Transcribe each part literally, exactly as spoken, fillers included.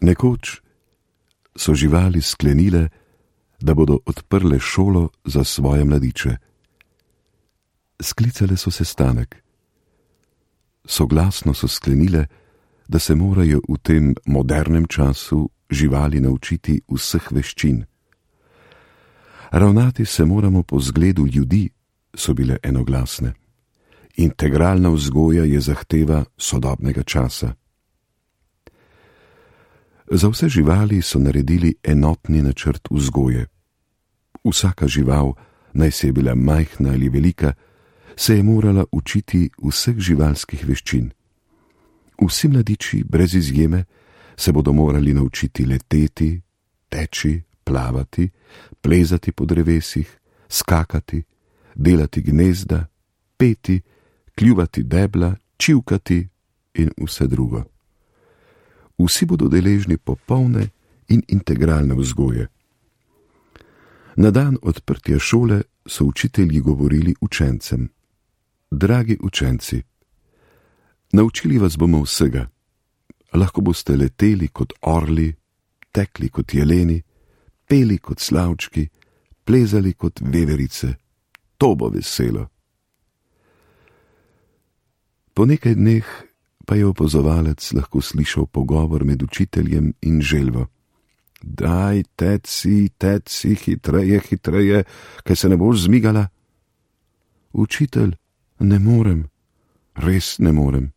Nekoč so živali sklenile, da bodo odprle šolo za svoje mladiče. Sklicale so sestanek. Soglasno so sklenile, da se morajo v tem modernem času živali naučiti vseh veščin. Ravnati se moramo po zgledu ljudi, so bile enoglasne. Integralna vzgoja je zahteva sodobnega časa. Za vse živali so naredili enotni načrt vzgoje. Vsaka žival, naj se je bila majhna ali velika, se je morala učiti vseh živalskih veščin. Vsi mladiči, brez izjeme, se bodo morali naučiti leteti, teči, plavati, plezati po drevesih, skakati, delati gnezda, peti, kljuvati debla, čivkati in vse drugo. Vsi bodo deležni popolne in integralne vzgoje. Na dan odprtja šole so učitelji govorili učencem: Dragi učenci, naučili vas bomo vsega. Lahko boste leteli kot orli, tekli kot jeleni, peli kot slavčki, plezali kot veverice. To bo veselo. Po nekaj dneh pa je opazovalec lahko slišal pogovor med učiteljem in želvo. Daj, teci, teci, hitreje, hitreje, kaj se ne boš zmigala? Učitelj, ne morem, res ne morem.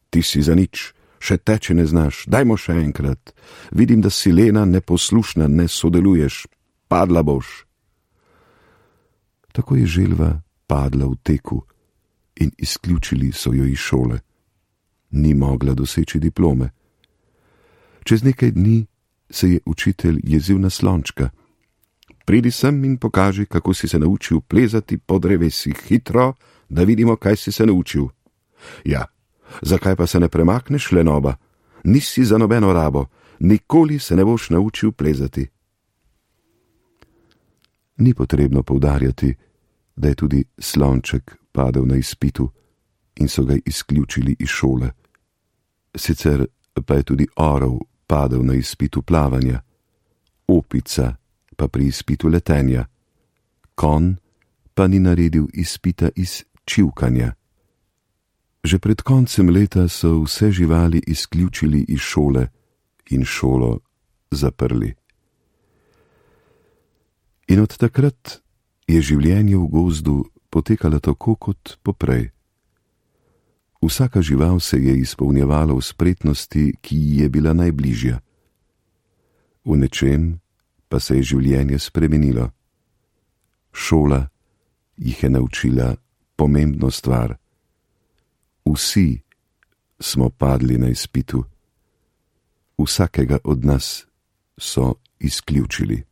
Ti si za nič, še teči ne znaš, dajmo še enkrat. Vidim, da si lena, neposlušna, ne sodeluješ, padla boš. Tako je želva padla v teku in izključili so jo iz šole. Ni mogla doseči diplome. Čez nekaj dni se je učitelj jezil na slončka. Pridi sem in pokaži, kako si se naučil plezati po drevesih, hitro, da vidimo, kaj si se naučil. Ja, zakaj pa se ne premakneš, lenoba? Nisi za nobeno rabo, nikoli se ne boš naučil plezati. Ni potrebno poudarjati, da je tudi slonček padel na izpitu in so ga izključili iz šole. Sicer pa je tudi orel padel na izpitu plavanja, opica pa pri izpitu letenja, konj pa ni naredil izpita iz čivkanja. Že pred koncem leta so vse živali izključili iz šole in šolo zaprli. In od takrat je življenje v gozdu potekalo tako kot poprej. Vsaka žival se je izpolnjevala v spretnosti, ki ji je bila najbližja. V nečem pa se je življenje spremenilo. Šola jih je naučila pomembno stvar. Vsi smo padli na izpitu. Vsakega od nas so izključili.